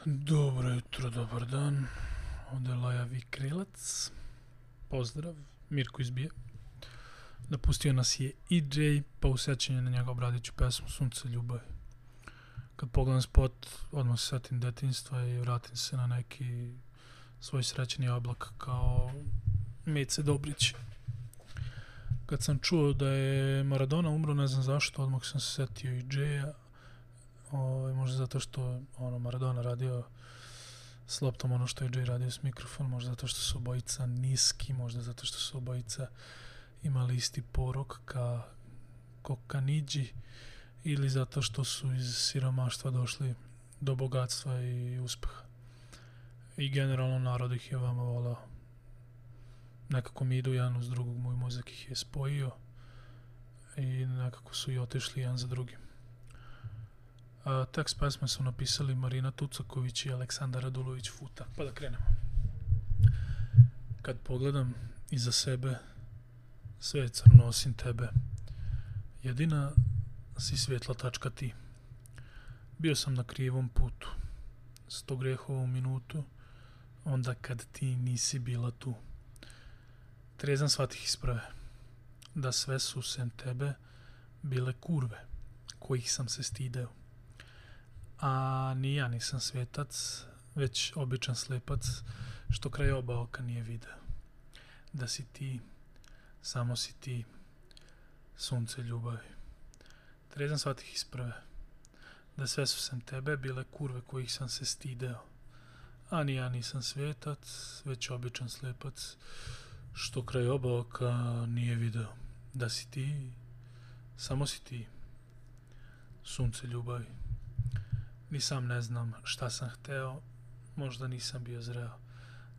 Dobro jutro, dobar dan. Ovdje je Lajavi Krilac. Pozdrav, Mirko izbije. Napustio nas je EJ, pa u sećanje na njega obradit ću pesmu Sunce ljubavi. Kad pogledam spot, odmah se setim detinjstva i vratim se na neki svoj srećni oblak kao Mice Dobrić. Kad sam čuo da je Maradona umro, ne znam zašto, odmah sam se setio EJ-a. Možda zato što Maradona radio s loptom ono što je EJ radio s mikrofon, možda zato što su obojica niski, možda zato što su obojica imali isti porok ko Kanidži, ili zato što su iz siromaštva došli do bogatstva i uspeha. I generalno narod ih je vama volao. Nekako mi idu jedan uz drugog, moj mozak ih je spojio i nekako su i otišli jedan za drugim. Tekst pesme su napisali Marina Tucaković i Aleksandar Radulović Futa. Pa da krenemo. Kad pogledam iza sebe, sve je crno osim tebe. Jedina si svjetla tačka ti. Bio sam na krivom putu. 100 grehova u minutu, onda kad ti nisi bila tu. Trezan shvatih isprave, da sve su sem tebe bile kurve, kojih sam se stideo. A ni ja nisam svetac, već običan slepac, što kraj oba oka nije video. Da si ti, samo si ti, sunce ljubavi. Trezan shvatih isprave, da sve su sem tebe bile kurve kojih sam se stideo. A ni ja nisam svetac, već običan slepac, što kraj oba oka nije video. Da si ti, samo si ti, sunce ljubavi. Ni sam ne znam šta sam hteo, možda nisam bio zreo,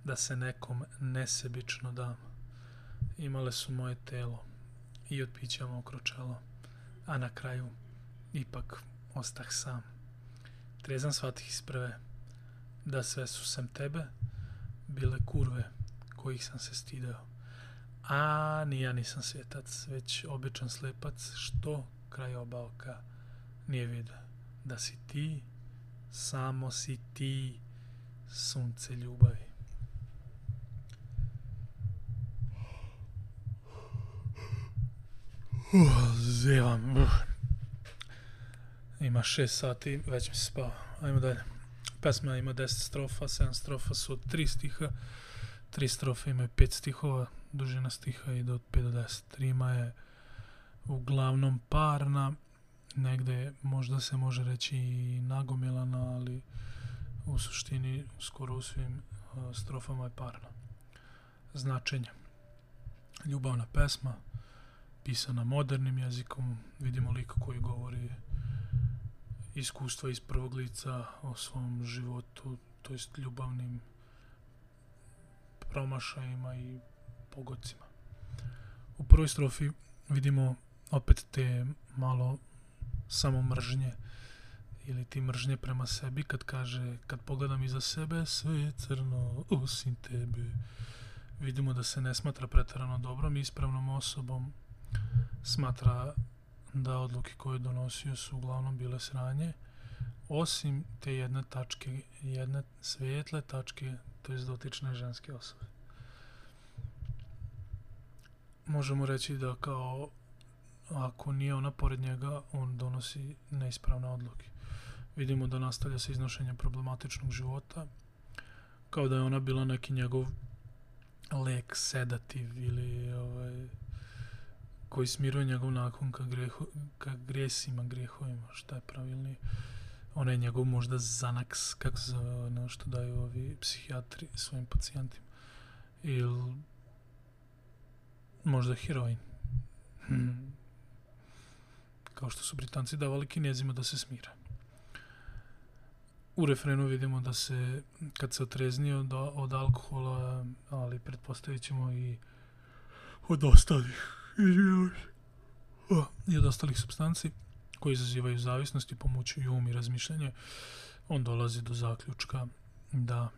da se nekom nesebično dam. Imale su moje telo i od pića mokro čelo, a na kraju ipak ostah sam. Trezan shvatih isprave, da sve su sem tebe bile kurve kojih sam se stideo. A ni ja nisam svetac, već običan slepac, što kraj oba oka nije video. Da si ti, samo si ti, sunce ljubavi. Zevam. Ima 6 sati, već mi se spava. Ajmo dalje. Pesma ima 10 strofa, 7 strofa su od 3 stiha, 3 strofe imaju 5 stihova, dužina stiha ide od 5 do 10. Rima je uglavnom parna, negde možda se može reći i nagomilana, ali u suštini skoro u svim strofama je parna. Značenje. Ljubavna pesma, pisana modernim jezikom, vidimo lika koji govori iskustva iz prvog lica o svom životu, to jest ljubavnim promašajima i pogodcima. U prvoj strofi vidimo opet te malo samo mržnje ili ti mržnje prema sebi, kad kaže, kad pogledam iza sebe, sve je crno osim tebe. Vidimo da se ne smatra preterano dobrom i ispravnom osobom, smatra da odluke koje je donosio su uglavnom bile sranje, osim te jedne tačke, jedne svijetle tačke, to je dotične ženske osobe. Možemo reći da kao ako nije ona pored njega, on donosi neispravne odluke. Vidimo da nastavlja sa iznošenjem problematičnog života, kao da je ona bila neki njegov lek, sedativ ili koji smiruje njegov nakon ka grijesima, grijehovima, šta je pravilnije. Ona je njegov možda Xanax, kako se zove ono što daju ovi psihijatri svojim pacijentima. Ili možda heroin. Kao što su Britanci davali Kinezima da se smire. U refrenu vidimo da se, kad se otreznio od alkohola, ali pretpostavit ćemo i od ostalih supstanci koji izazivaju zavisnost i pomućuju um i razmišljanje, on dolazi do zaključka da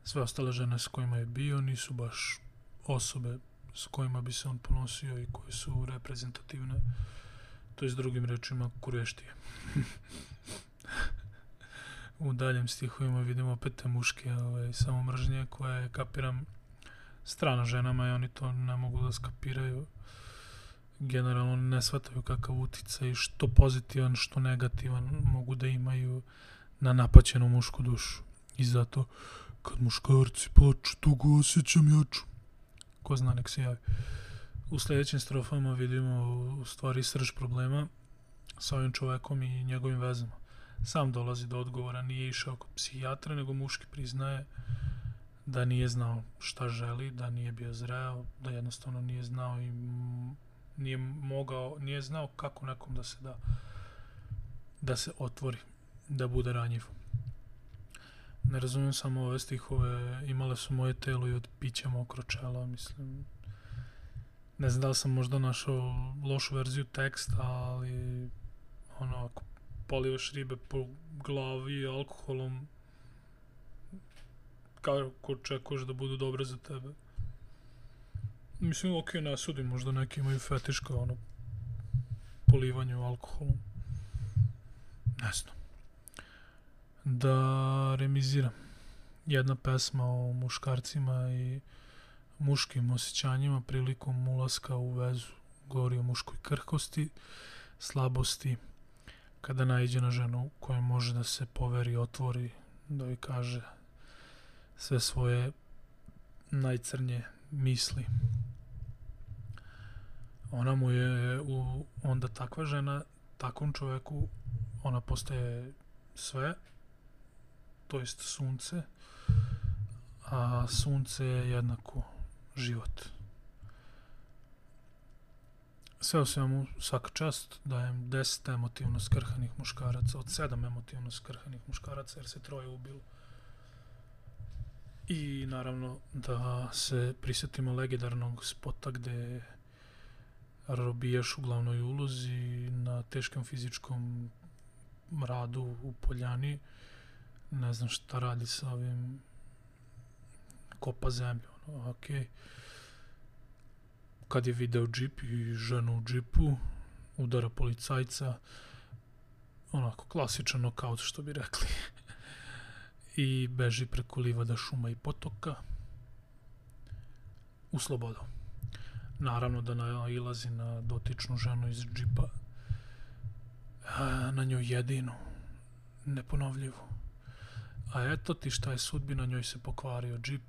sve ostale žene s kojima je bio nisu baš osobe s kojima bi se on ponosio i koje su reprezentativne, to je s drugim rečima kurveštije. u daljem stihovima vidimo opet te muške samomržnje koje, kapiram, strano ženama i oni to ne mogu da skapiraju. Generalno ne shvataju kakav uticaj, što pozitivan, što negativan mogu da imaju na napaćenu mušku dušu. I zato, kad muškarci plaču, to ga osjećam jaču. Ko zna, nek se javi. U sljedećim strofama vidimo u stvari srž problema sa ovim čovekom i njegovim vezama. Sam dolazi do odgovora, nije išao kod psihijatra, nego muški priznaje da nije znao šta želi, da nije bio zreo, da jednostavno nije znao i nije znao kako nekom da se da, da se otvori, da bude ranjiv. Ne razumijem samo ove stihove, imale su moje telo i od pića mokro čelo, mislim. Ne znam da li sam možda našao lošu verziju teksta, ali ono, ako polivaš ribe po glavi alkoholom, kako očekuješ da budu dobre za tebe? Mislim, ok, ne sudim, možda neki imaju fetiš kao ono, polivanju alkoholom. Ne znam. Da remiziram. Jedna pesma o muškarcima i muškim osjećanjima prilikom ulaska u vezu. Govori o muškoj krhkosti, slabosti, kada naiđe na ženu koja može da se poveri, otvori, da joj kaže sve svoje najcrnje misli. Ona mu je onda takva žena, takvom čoveku, ona postaje sve, to jest sunce, a sunce je jednako život. Sve u svemu, svaka čast, dajem 10 emotivno skrhanih muškaraca, od 7 emotivno skrhanih muškaraca, jer se 3 ubilo. I naravno da se prisjetimo legendarnog spota gde robijaš u glavnoj ulozi na teškom fizičkom radu u poljani, ne znam šta radi sa ovim, kopa zemlju, ono, okej. Kad je video džip i ženu u džipu, udara policajca, onako klasičan nokaut što bi rekli, i beži preko livada, šuma i potoka u slobodu. Naravno da nailazi na dotičnu ženu iz džipa, na njoj jedinu, neponovljivu. A eto ti šta je sudbina, njoj se pokvario džip,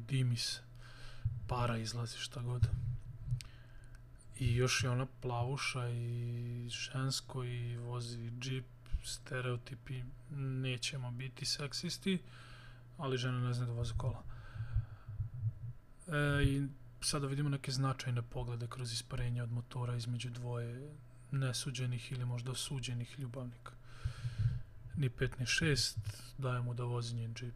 dimi se, para izlazi, šta god. I još je ona plavuša i žensko i vozi džip, stereotipi, nećemo biti seksisti, ali žena ne zna da voze kola. I sada vidimo neke značajne poglede kroz isparenje od motora između dvoje nesuđenih ili možda suđenih ljubavnika. Ni 5 ni 6, daje mu da vozi njen džip.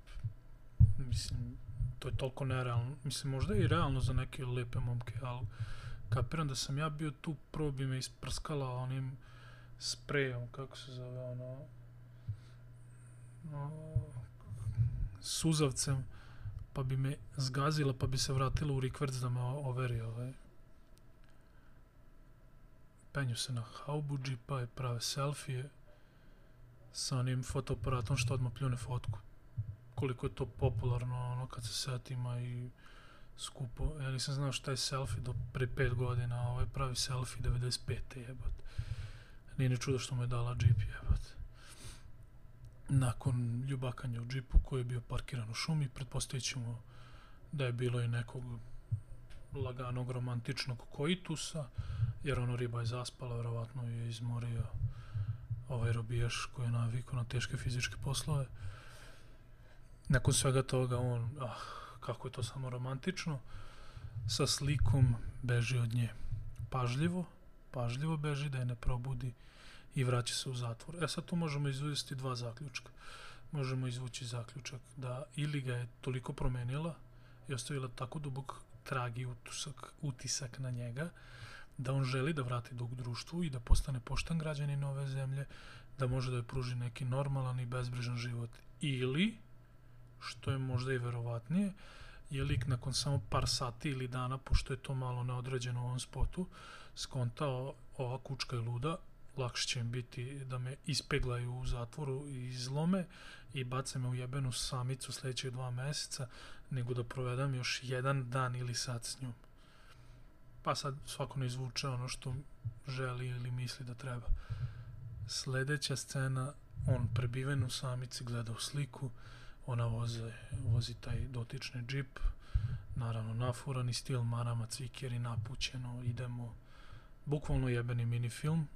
Mislim, to je toliko nerealno. Mislim, možda je i realno za neke lepe momke, ali kapiram da sam ja bio tu, prvo bi me isprskala onim sprejom, kako se zove, ono, suzavcem, pa bi me zgazila, pa bi se vratila u rikverc da me overi. Penju se na haubu džipa i prave selfije sa onim fotoaparatom što odmah pljune fotku. Koliko je to popularno, ono, kad se setima i skupo. Ja nisam znao šta je selfie do pre 5 godina, a ovaj pravi selfie 95. jebate. Nije ni čudo što mu je dala džip, jebate. Nakon ljubakanja u džipu koji je bio parkiran u šumi, pretpostavit ćemo da je bilo i nekog laganog romantičnog koitusa, jer ono, riba je zaspala, verovatno je izmorio ovaj robijaš koji je navikao na teške fizičke poslove. Nakon svega toga on, kako je to samo romantično, sa slikom beži od nje. Pažljivo beži da je ne probudi i vraća se u zatvor. Sad tu možemo izvesti 2 zaključka. Možemo izvući zaključak da ili ga je toliko promenila i ostavila tako dubok trag i utisak na njega, da on želi da vrati dug društvu i da postane pošten građanin ove zemlje, da može da joj pruži neki normalan i bezbrižan život. Ili, što je možda i verovatnije, je lik nakon samo par sati ili dana, pošto je to malo neodređeno u ovom spotu, skontao ova kučka je luda, lakše će im biti da me ispeglaju u zatvoru i izlome i bace me u jebenu samicu sljedećih 2 mjeseca, nego da provedem još 1 dan ili sat s njom. Pa sad svako ne izvuče ono što želi ili misli da treba. Sljedeća scena, on prebiven u samici, gleda u sliku, ona vozi taj dotični džip, naravno nafurani stil, marama, cvikeri, napućeno, idemo, bukvalno jebeni mini film.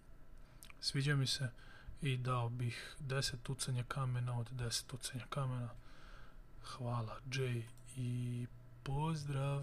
Sviđa mi se i dao bih 10 tucanja kamena od 10 tucanja kamena. Hvala Jay i pozdrav!